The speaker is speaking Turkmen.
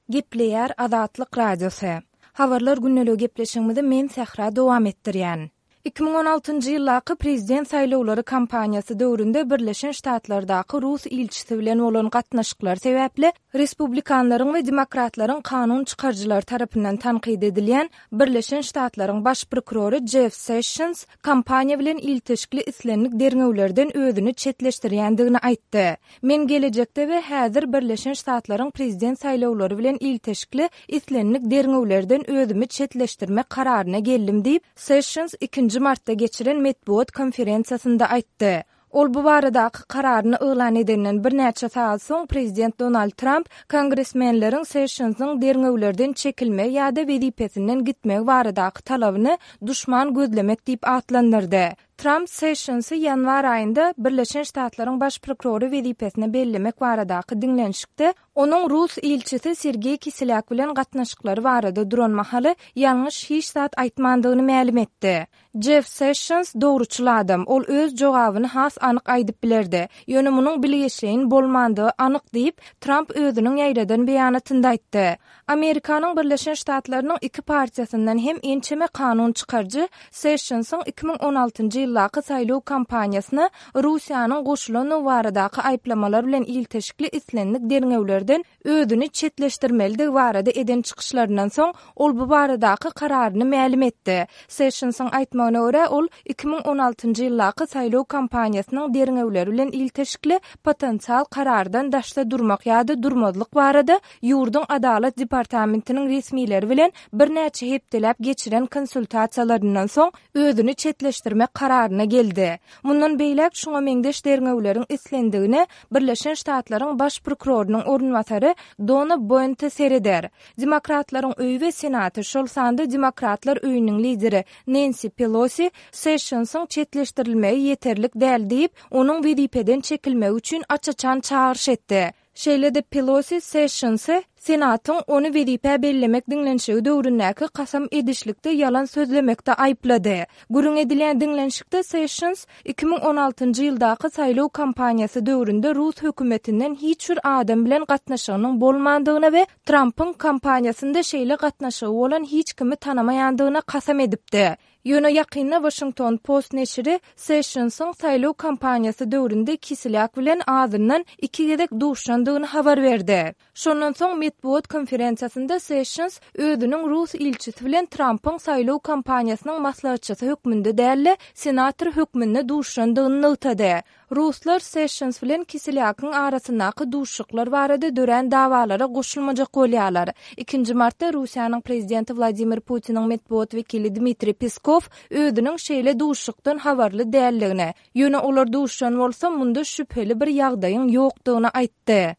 Gepleýär Azatlyk Radiosy. Habarlar gündeligi gepleşigimizi men Sähra dowam etdirýän. 2016-njy ýyldaky prezident saýlawlary kampaniýasy döwründe Birleşen Ştatlardaky rus ilçisi bilen bolan gatnaşyklary sebäpli respublikanlaryň we demokratlaryň kanun çykaryjylary tarapyndan tankyt edilýän Birleşen Ştatlaryň baş prokurory Jeff Sessions kampaniýa bilen ilteşikli islendik derňewlerden özüni çetleşdirýändigini aýtdy. Men gelejekde we häzir Birleşen Ştatlaryň prezident saýlawlary bilen ilteşikli islendik derňewlerden özümi çetleşdirmek kararyna geldim diýip, Sessions ikinji martda geçiren metbugat konferensiýasynda aýtdy. Ol bu baradaky kararyny yglan edenden birnäçe sagat soň prezident Donald Tramp kongresmenleriň Sessionsyň derňewlerden çekilmegi ýa-da wezipesinden gitmegi baradaky talabyny duşman gözlemek diýip atlandyrdy. Tramp Sessionsy ýanwar aýynda Birleşen Ştatlaryň Baş prokurory wezipesine bellemek baradaky diňlenişikde onuň rus ilçisi Sergeý Kiselýak bilen gatnaşyklary barada duran mahaly ýalňyş hiç zat aýtmandygyny mälim etdi. Jeff Sessions dogruçyl adam, ol öz jogabyny has anyk aýdyp bilerdi. Ýöne munuň bilgeşleýin bolmandygy anyk diýip, Tramp özüniň ýaýradan beýanatynda aýtdy. Amerikanyň Birleşen Ştatlarynyň iki partiýasyndan hem ençeme kanun çykaryjy Sessionsyň 2016-njy ýyldaky saýlaw kampaniýasyna Russiýanyň goşulandygy baradaky aýyplamalar bilen ilteşikli islendik derňewlerden özüni çetleşdirmelidigi barada eden çykyşlaryndan soň, ol bu baradaky kararyny mälim etdi. Sessionsyň aýtmagyna görä, ol 2016-njy ýyldaky saýlaw kampaniýasynyň derňewleri bilen ilteşikli potensial karardan daşda durmak ýa-da durmazlyk barada ýurduň Adalat departamentiniň resmileri bilen birnäçe hepdeläp geçiren konsultasiýalaryndan soň özüni çetleşdirmek kararyna geldi. Mundan beýläk şuňa meňzeş derňewleriň islendigine Birleşen Ştatlaryň Baş prokurorynyň orunbasary Dona Boente sereder. Demokratlaryň öýi we Senaty, şol sanda Demokratlar öýüniň lideri Nensi Pelosi Sessionsyň çetleşdirilmegi ýeterlik däl diýip, onuň wezipeden çekilmegi üçin aç-açan çagyryş etdi. Şeýle-de Pelosi Sessionsy Senatyň ony wezipä bellemek diňlenişigi döwründäki kasam edişlikde ýalan sözlemekde aýyplady. Gürrüň edilýän diňlenişikde Sessions 2016-njy ýyldaky saýlaw kampaniýasy döwründe rus hökümetinden hiç bir adam bilen gatnaşygynyň bolmandygyna we Trampyň kampaniýasynda şeýle gatnaşygy bolan hiç kimi tanamaýandygyna kasam edipdi. Ýöne ýakynda Washington Post neşiri Sessionsyň saýlaw kampaniýasy döwründe Kiselýak bilen azyndan iki gezek duşandygyny habar berdi. Şondan soň metbugat konferensiýasynda Sessions özüniň rus ilçisi bilen Trampyň saýlaw kampaniýasynyň maslahatçysy hökmünde däl-de, senator hökmünde duşandygyny nygtady. Ruslar Sessions bilen Kiselýakyň arasyndaky duşuşyklar barada dörän dawalara goşulmajak bolýarlar. Ikinji martda Russiýanyň prezidenti Wladimir Putiniň metbugat wekili Dmitriý Peskow özüniň şeýle duşuşykdan habarly däldigini, ýöne olar duşuşan bolsa, munda şübheli bir ýagdaýyň ýokdugyny aýtdy.